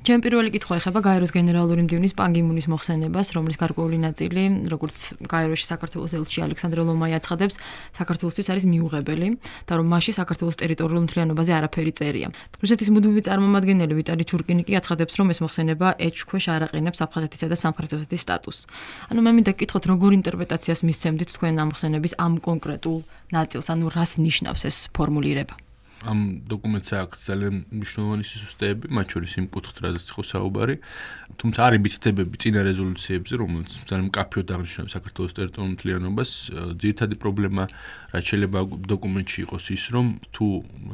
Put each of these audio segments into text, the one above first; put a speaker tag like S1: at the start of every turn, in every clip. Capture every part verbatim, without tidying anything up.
S1: ჩემი პირველი კითხვა ეხება გაეროს გენერალური მდივნის პან კი მუნის მოხსენებას, რომლის გარკვეული ნაწილი, როგორც გაეროში საქართველოს ელჩი ალექსანდრე ლომაი აცხადებს, საქართველოსთვის არის მიუღებელი და რომ მასში საქართველოს ტერიტორიულ მთლიანობაზე არაფერი წერია. რუსეთის მუდმივი წარმომადგენელი ვიტალი ჩურკინი კი აცხადებს, რომ ეს მოხსენება ეჭვქვეშ არ აყენებს აფხაზეთისა და სამხრეთ ოსეთის სტატუსს. ანუ მე მინდა გკითხოთ, როგორ ინტერპრეტაციას მისცემდით თქვენ ამ მოხსენების ამ კონკრეტულ ნაწილს, ანუ რას ნიშნავს ეს ფორმულირება?
S2: ამ დოკუმენტს აქვს ძალიან მნიშვნელოვანი სისუსტეები, მათ შორის იმ კუთხით, რაზეც იყო საუბარი. თუმცა არის მითითებები წინა რეზოლუციებზე, რომელიც ძალიან მკაფიოდ აღნიშნავს საქართველოს ტერიტორიულ მთლიანობას. ძირითადი პრობლემა, რაც შეიძლება დოკუმენტში იყოს ის, რომ თუ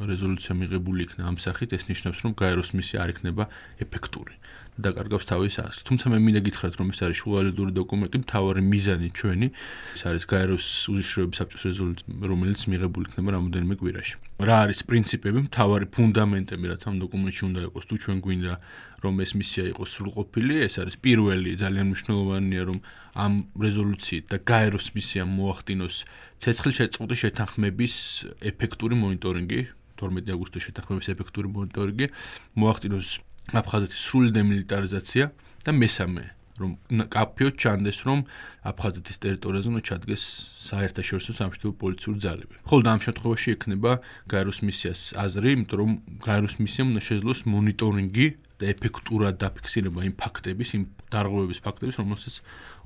S2: რეზოლუცია მიღებული იქნა ამ სახით, ეს ნიშნავს, რომ გაეროს მისია არ იქნება ეფექტური. დაკარგავს თავის არსს. თუმცა მე მინდა გითხრათ, რომ ეს არის შუალედური დოკუმენტი, მთავარი მიზანი ჩვენი, ეს არის გაეროს უშიშროების საბჭოს რეზოლუცია, რომელიც მიღებული იქნება რამოდენიმე კვირაში. რა არის პრინციპები, მთავარი ფუნდამენტები, რაც ამ დოკუმენტში უნდა იყოს, თუ ჩვენ გვინდა, რომ ეს მისია იყოს სრულყოფილი, ეს არის პირველი, ძალიან მნიშვნელოვანია, რომ ამ რეზოლუციით და გაეროს მისიამ მოახდინოს ცეცხლშეწყვეტი შეთანხმების ეფექტური მონიტორინგი, თორმეტი აგვისტოს შეთანხმების ეფექტური მონიტორინგი, მოახდინოს აფხაზეთის სრული დემილიტარიზაცია და მესამე, რომ კაფეოდ ჩანდეს, რომ აფხაზეთის ტერიტორიაზე უნდა ჩადგეს საერთაშორისო სამშვიდობო პოლიციური ძალები. ხოლო ამ შემთხვევაში ექნება გაეროს მისიას აზრი, იმიტომ რომ გაეროს მისიამ უნდა შეძლოს მონიტორინგი და ეფექტურად დაფიქსირება იმ ფაქტების, იმ დარღვევების ფაქტების, რომელსაც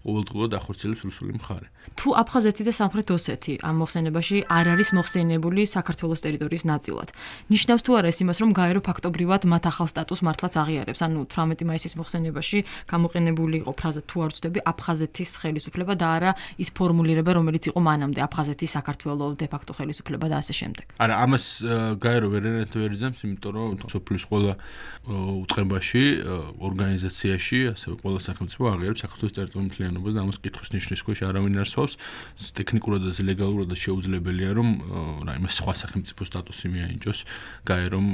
S2: ყოველდღურად ახორციელებს რუსული მხარე.
S1: თუ აფხაზეთი და სამხრეთ ოსეთი ამ მოხსენებაში არ არის მოხსენებული საქართველოს ტერიტორიის ნაწილად, ნიშნავს თუ არა ეს იმას, რომ გაერო ფაქტობრივად მათ ახალ სტატუსს მართლაც აღიარებს? ანუ თვრამეტი მაისის მოხსენებაში გამოყენებული იყო ფრაზა თუ არ ვცდები აფხაზეთის ხელისუფლება და არა ის ფორმულირება, რომელიც იყო მანამდე აფხაზეთის საქართველოს დე ფაქტო ხელისუფლება და ასე შემდეგ.
S2: არა, ამას გაერო ვერ ვერიძებს, იმიტომ რომ სოფლის ყველა უწყებაში, ორგანიზაციაში, ასევე ყველა სახელმწიფო აღიარებს საქართველოს ტერიტორიულ მთლიანობას და ამას კითხვის ნიშნის ქვეშ არავინ არ სვავს. ტექნიკურად და ლეგალურად შეუძლებელია, რომ რაიმე სხვა სახელმწიფო სტატუსი მიაინჯოს გაერომ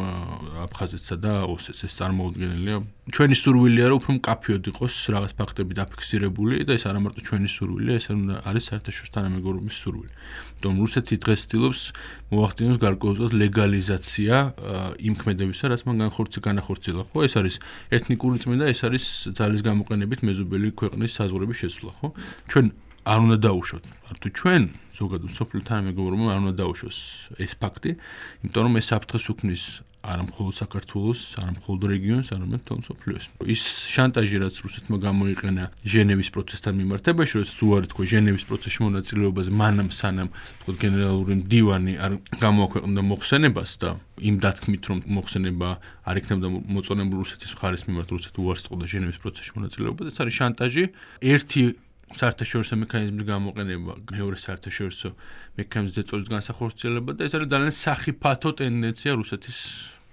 S2: აფხაზეთსა და ოსეთს. ეს წარმოუდგენელია. ჩვენი სურვილია, რომ უფრო მკაფიოდ იყოს რაღაც ფაქტები დაფიქსირებული და ეს არა მარტო ჩვენი სურვილია, ეს არის საერთაშორისო თანამეგობრობის სურვილი. თუმცა რუსეთი დღეს ცდილობს მოახდინოს გარკვეულწილად ლეგალიზაცია იმ ქმედებისა, რაც მან განახორციელა. ხო, ეს არის ეთნიკური წმენდა, ეს არის ძალის გამოყენებით მეზობელი ქვეყნის საზღვრების შესვლა, ხო? ჩვენ არ უნდა დაუშვოთ. თუ ჩვენ ზოგადად სოფლიო თანამეგობრობამ არ უნდა დაუშვოს ეს ფაქტი, იმიტომ რომ ეს საფრთხეს უქმნის არა მხოლოდ საქართველოს, არა მხოლოდ რეგიონს, არამედ მთელ მსოფლიოს. ის შანტაჟი, რაც რუსეთმა გამოიყენა ჟენევის პროცესთან მიმართებაში, როდესაც უარი თქვა ჟენევის პროცესში მონაწილეობაზე, მანამ სანამ თქო გენერალური მდივანი არ გამოაქვეყნდა მოხსენებას და იმ დათქმით, რომ მოხსენება არ იქნებოდა მოწონებული რუსეთის მხარის მიმართ, რუსეთი უარს ტყოდა ჟენევის პროცესში მონაწილეობაზე, ეს არის შანტაჟი. ერთი საერთაშორისო მექანიზმის გამოყენება, მეორე საერთაშორისო მექანიზმის ზეწოლის განსახორციელება და ეს არის ძალიან სახიფათო ტენდენცია რუსეთის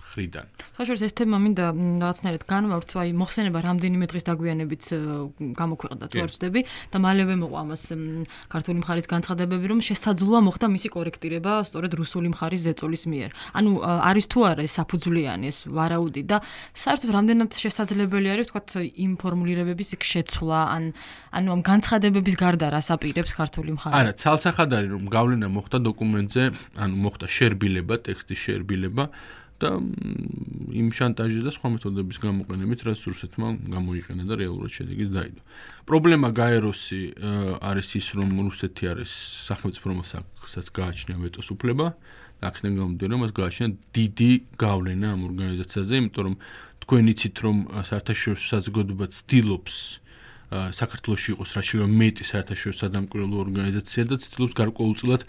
S2: მხრიდან.
S1: ხაშორს ეს თემა მინდა რაღაცნაირად განვავრცო, აი მოხსენება რამდენიმე დღის დაგვიანებით გამოქვეყნდა თუ არ ვცდები და მალევე მოყვა ამას ქართული მხარის განცხადებები, რომ შესაძლოა მოხდა მისი კორექტირება სწორედ რუსული მხარის ზეწოლის მიერ. ანუ არის თუ არა ეს საფუძვლიანი ეს ვარაუდი და საერთოდ რამდენად შესაძლებელი არის ვთქვათ იმ ფორმულირებების შეცვლა ან ანუ ამ განცხადებების გარდა რას აპირებს ქართული მხარი?
S2: არა, ცალსახად არის რომ გავლენა მოხდა დოკუმენტზე, ანუ მოხდა შერბილება, ტექსტის შერბილება და იმ შანტაჟის და სხვა მეთოდების გამოყენებით, რაც რუსეთმა გამოიყენა და რეალურად შედეგიც დაიდო. პრობლემა გაეროსი არის ის, რომ რუსეთი არის სახელმწიფო, რომელსაც გააჩნია ვეტოს უფლება და აქედან გამომდინარე, რომ მას გააჩნია დიდი გავლენა ამ ორგანიზაციაზე, იმიტომ რომ თქვენ იცით, რომ საერთაშორისო საზოგადოება ცდილობს საქართველოში იყოს რა შეიძლება მეტი საერთაშორისო სადამკვირვებლო ორგანიზაცია და ცდილობს გარკვეულწილად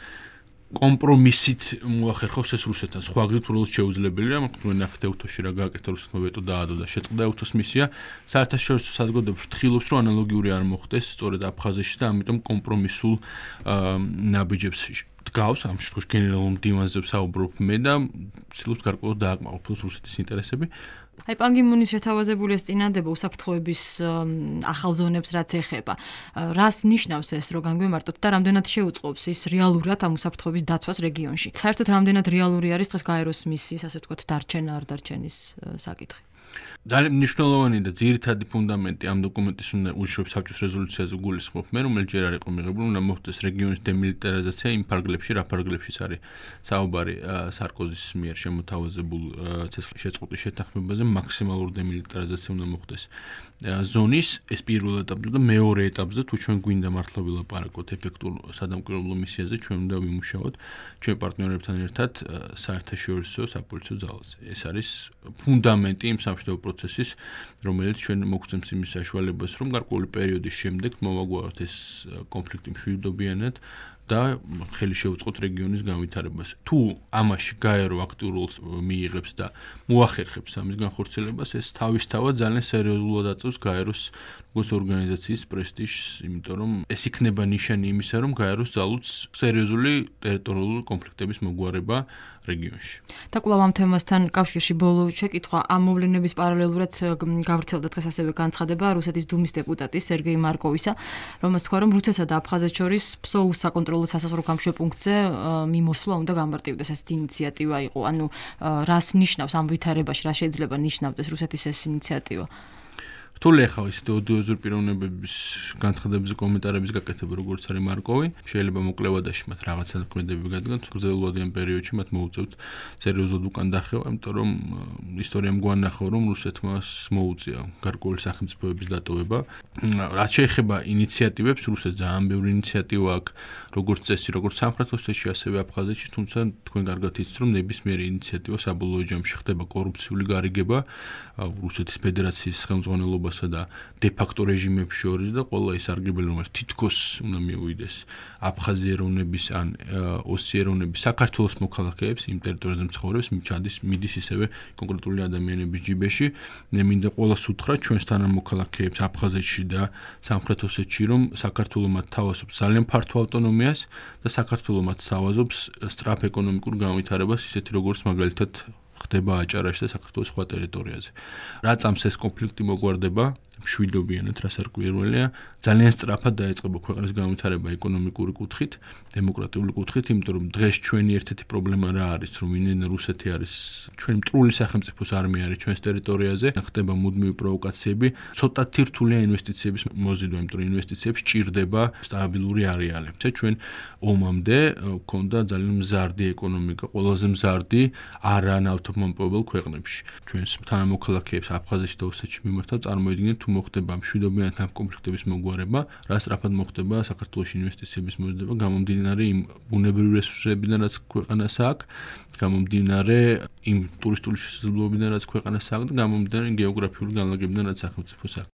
S2: კომპრომისით მოახერხოს ეს რუსეთთან. სხვა გზით უბრალოდ შეუძლებელია, მაგრამ ნახეთ ევთოში რა გააკეთა რუსეთმა ვეტო დაადო და შეწყდა ევთოს მისია. საერთაშორისო საზოგადოება ფრთხილობს, რომ ანალოგიური არ მოხდეს სწორედ აფხაზეთში და ამიტომ კომპრომისულ ნაბიჯებს დგავს, ამ შემთხვევაში გენერალურ მდივანზე ვსაუბრობ მე და ცდილობს გარკვეულად დააკმაყოფილოს რუსეთის ინტერესები.
S1: აი პან კი მუნის შეთავაზებული ეს წინადადება უსაფრთხოების ახალ ზონებს რაც ეხება. რას ნიშნავს ეს რო განგვემართოთ და რამდენად შეუწყობს ის რეალურად ამ უსაფრთხოების დაცვას რეგიონში? საერთოდ რამდენად რეალური არის დღეს გაეროს მისიის, ასე ვთქვათ, დარჩენა არ დარჩენის საკითხი?
S2: ძალიან მნიშვნელოვანი და ძირითადი ფუნდამენტი ამ დოკუმენტის უნდა უშუალოდ საბჭოს რეზოლუციაზე გულისხმობ მე, რომელიც ჯერ არ იყო მიღებული, უნდა მოხდეს რეგიონის დემილიტარიზაცია იმ ფარგლებში, რა ფარგლებშიც არის საუბარი სარკოზის მიერ შემოთავაზებულ ცეცხლშეწყვეტის შეთანხმებაზე, მაქსიმალური დემილიტარიზაცია უნდა მოხდეს ზონის, ეს პირველ ეტაპზე და მეორე ეტაპზე თუ ჩვენ გვინდა მართლა ვილაპარაკოთ ეფექტურ სადამკვირვებლო მისიაზე, ჩვენ უნდა ვიმუშაოთ ჩვენ პარტნიორებთან ერთად საერთაშორისო საპოლიციო ძალაზე. ეს არის ფუნდამენტი იმ სამშვიდობო პროცესის, რომელიც ჩვენ მოგცემს იმის საშუალებას, რომ გარკვეული პერიოდის შემდეგ მოვაგვაროთ ეს კონფლიქტი მშვიდობიანად და ხელი შევუწყოთ რეგიონის განვითარებას. თუ ამაში გაერო აქტიურ როლს მიიღებს და მოახერხებს ამის განხორციელებას, ეს თავისთავად ძალიან სერიოზულად აწევს გაეროს როგორც ორგანიზაციის პრესტიჟს, იმიტომ რომ ეს იქნება ნიშანი იმისა, რომ გაეროს ძალუც სერიოზული ტერიტორიული კონფლიქტების მოგვარება რეგიონში.
S1: და კვლავ ამ თემასთან კავშირში ბოლო შეკითხვა, ამ მოვლენების პარალელურად გავრცელდა დღეს ასევე განცხადება რუსეთის დუმის დეპუტატის სერგეი მარკოვისა, რომელს თქვა, რომ რუსეთსა და აფხაზეთს შორის ფსოუს საკონტროლო სასაზღვრო გამშვებპუნქტზე მიმოსვლა უნდა გამარტივდეს, ეს ინიციატივა იყო. ანუ რას ნიშნავს ამ ვითარებაში, რა შეიძლება ნიშნავდეს რუსეთის ეს ინიციატივა?
S2: რთული ახლა ისეთი ოდიოზური პიროვნებების განცხადებებზე კომენტარების გაკეთება, როგორც არის მარკოვი, შეიძლება მოკლევადაში მათ რაღაცა ქმედებები გადგათ, გრძელვადიან პერიოდში მათ მოუწევთ სერიოზულად უკან დახევა, იმიტომ რომ ისტორიამ გვანახა, რომ რუსეთმა მოუწია გარკვეული სახელმწიფოების დატოვება. რაც შეეხება ინიციატივებს, რუსეთს ძალიან ბევრი ინიციატივა აქვს, როგორც წესი, როგორც სამხრეთ ოსეთში, ასევე აფხაზეთში, თუმცა თქვენ კარგად იცით, რომ ნებისმიერი ინიციატივა საბოლოო ჯამში ხდება კორუფციული გარიგება რუსეთის ფედერაციის ხელმძღვანელობა და დე-ფაქტო რეჟიმებს შორის და ყველა ის არგებელი, რომელიც თითქოს უნდა მიუვიდეს აფხაზი ეროვნების ან ოსი ეროვნების საქართველოს მოქალაქეებს, იმ ტერიტორიაზე მცხოვრებს, მიჩადის მიდის ისევე კონკრეტული ადამიანების ჯიბეში. მე მინდა ყველას უთხრა ჩვენს თანამოქალაქეებს აფხაზეთში და სამხრეთ ოსეთში, რომ საქართველო მათ თავაზობს ძალიან ფართო ავტონომიას და საქართველო მათ თავაზობს სწრაფ ეკონომიკურ განვითარებას, ისეთი როგორც მაგალითად ხდება აჭარაში და საქართველოს სხვა ტერიტორიაზე. რა წამს ეს კონფლიქტი მოგვარდება, მშვიდობიანად, რას არ გვირველია, ძალიან სწრაფად დაიწყება ქვეყნის განვითარება ეკონომიკური კუთხით, დემოკრატიული კუთხით, იმიტომ რომ დღეს ჩვენი ერთ-ერთი პრობლემა რა არის, რომ ინენ რუსეთი არის ჩვენი მტრული სახელმწიფოს არმია არის ჩვენს ტერიტორიაზე, ხდება მუდმივი პროვოკაციები, ცოტათი რთულია ინვესტიციების მოზიდვა, იმიტომ რომ ინვესტიციებს ჭირდება სტაბილური არეალი. ჩვენ ომამდე გვქონდა ძალიან მზარდი ეკონომიკა, ყველაზე მზარდი არა ნავთობმომპოვებელ ქვეყნებში. ჩვენს თანამოქალაქეებს აფხაზეთში და ოსეთში მიმართავ წარმოიდგინეთ თუ მოხდება მშვიდობიანად ამ კონფლიქტების მოგვარება, რა სწრაფად მოხდება საქართველოში ინვესტიციების მozidება, გამომდინარე იმ ბუნებრივი რესურსებიდან, რაც ქვეყანას აქვს, გამომდინარე იმ ტურისტული შესაძლებლობებიდან, რაც ქვეყანას აქვს და გამომდინარე გეოგრაფიული განლაგებიდან, რაც სახელმწიფოს აქვს.